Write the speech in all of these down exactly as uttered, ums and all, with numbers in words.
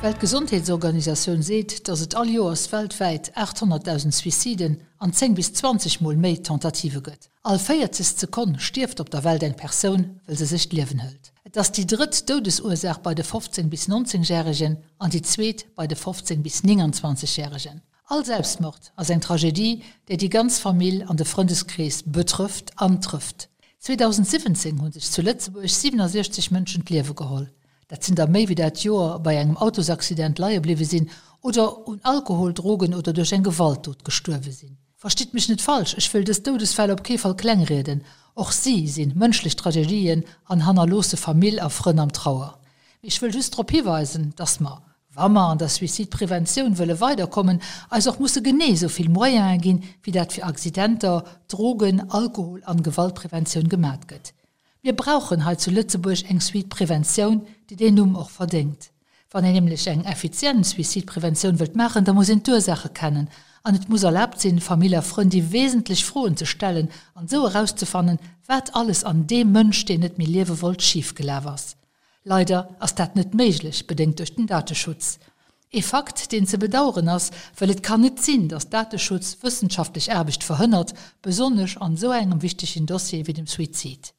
D'Weltgesondheetsorganisatioun seet, datt et all Joers weltwäit aacht honnertdausend Suiciden an zéng bis zwanzeg Mol méi Tentative gëtt. All véierzegst Sekonn stierft op der Welt eng Persoun, wëll se sech d'Liewen hëlt. Et ass déi drëtt Doudesursaach bei de fofzéng bis nonzéng Järegen an déi zweet bei de fofzéng bis nénganzwanzeg Järegen. All Selbstmord ass eng Tragedie, déi déi ganz Famill an de Frëndeskrees betrëfft an trëfft. zweedausendsiwwenzéng hu sech zu Lëtzebuerg siwenasiechzeg Mënschen d'Liewe geholl. Dat sinn der méi wéi dat Joer bei engem Autosaccident leie bliwwe sinn oder un Alkohol, Drogen oder duerch eng Gewaltdot gestuerwe sinn. Verstitt mech net falsch, ech wëll dës Doudesfäll op kee Fall klengrieden. Och si si mënschlech Tragedien an hannerloosse Famill a Frënn am Trauer. Mee ech wëll just drop hiweisen, dass mer, wa mer an der Suizidpreventioun wëlle weiderkommen, eis och musse genee esou vill Moyene ginn, wéi dat fir Accidenter, Drogen-, Alkohol an Gewaltpreventioun gemat gëtt. Mir brauchen hei zu Lëtzebuerg eng Suidpreventioun, déi deen Numm och verdéngt. Wann een nämlech eng effizient Suizidpreventioun wëllt maachen, da muss een d'Ursaache kennen an et muss erlaabt sinn, Famill a Frënn déi wesentlech Froen ze stellen an esou erauszefannen, wat alles an deem Mënsch, deen net méi liewe wollt, schif gelaf ass. Leider ass dat net méiglech, bedéngt duerch den Dateschutz. Ee Fakt, deen ze bedaueren ass, well et kann net sinn, datt Dateschutz wëssenschaftlech Aarbecht verhënnert, besonnesch an esou engem wichtegen Dossier wéi dem Suizid.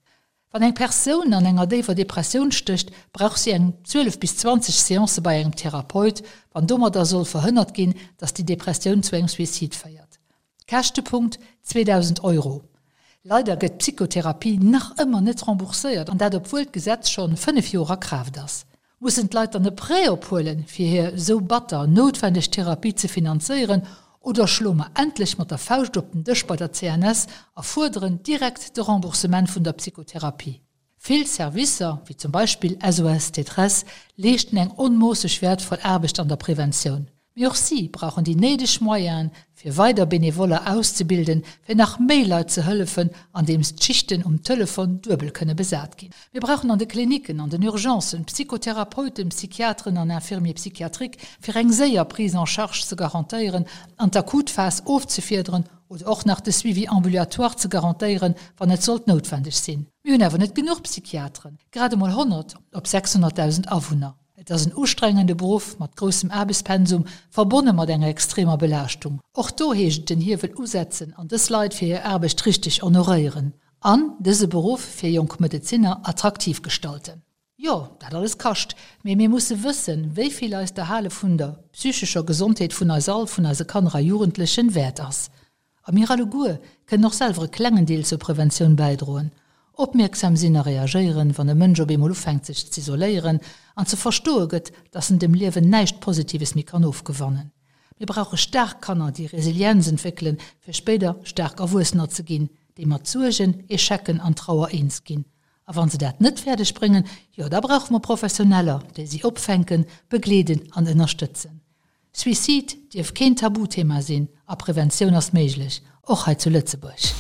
Wann eng Persoun an enger déiwer Depressioun stécht, brauch si eng zwielef bis zwanzeg Seancë bei engem Therapeut, wann domadder soll verhënnert ginn, datt déi Depressioun zu engem Suicide féiert. Käschtepunkt, zweedausend Euro. Leider gëtt d'Psychotherapie nach ëmmer net rembourséiert, an dat obwuel d'Gesetz schonn fënnef Joer a Kraaft ass. Mussen d'Leit dann e Prêt ophuelen, fir hir esou batter noutwendeg Therapie ze finanzéieren? Oder schloe mer endlech mat der Fauscht op den Dësch bei der C N S a fuerderen direkt de Remboursement vun der Psychotherapie? Vill Servicer, wéi zum Beispill S O S Détresse, leeschten eng onmoosseg wäertvoll Aarbecht an der Preventioun. Mee och si brauchen déi néideg Moyenen, fir weider Benevoller auszebilden, fir nach méi Leit ze hëllefen, andeems d'Schichten um Telefon duebel kënne besat ginn. Mir brauchen an de Klinicken, an den Urgencen Psychotherapeuten, Psychiateren an Infirmiers psychiatriques, fir eng séier Prise en charge ze garantéieren an d'Akutphas ofzefiederen oder och nach de Suivi ambulatoire ze garantéieren, wann et sollt noutwendeg sinn. Mir hunn awer net genuch Psychiateren, grad emol honnert op sechshonnertdausend Awunner. Et ass en ustrengende Beruff mat groussem Aarbechtspensum, verbonne mat enger extremer Belaaschtung. Och do heescht et den Hiewel usetzen an dës Leit fir hir Aarbecht richteg honoréieren an dëse Beruff fir jonk Medezinner attraktiv gestalten. Jo, dat alles kascht, mee mir musse wëssen, wéi vill eis d'Erhale vun der psychescher Gesondheet vun eis all, vun eise Kanner a Jugendlechen, wäert ass. A mir alleguer kënnen och selwer e klengen Deel zur Preventioun bäidroen. Opmierksam sinn a reagéieren, wann e Mënsch op eemol ufänkt sech z'isoléieren an ze verstoe gëtt, dass en dem Liewen näischt Positives méi kann ofgewannen. Mir brauche staark Kanner, déi Resilienz entwéckelen, fir spéider staark Erwuessener ze ginn, déi mat Suergen, Echecken an Trauer eens ginn. A wa se dat net fäerdeg bréngen, jo da brauche mer Professioneller, déi si opfänken, begleeden an ënnerstëtzen. Suicide dierf keen Tabuthema sinn a Preventioun ass méiglech, och hei zu Lëtzebuerg.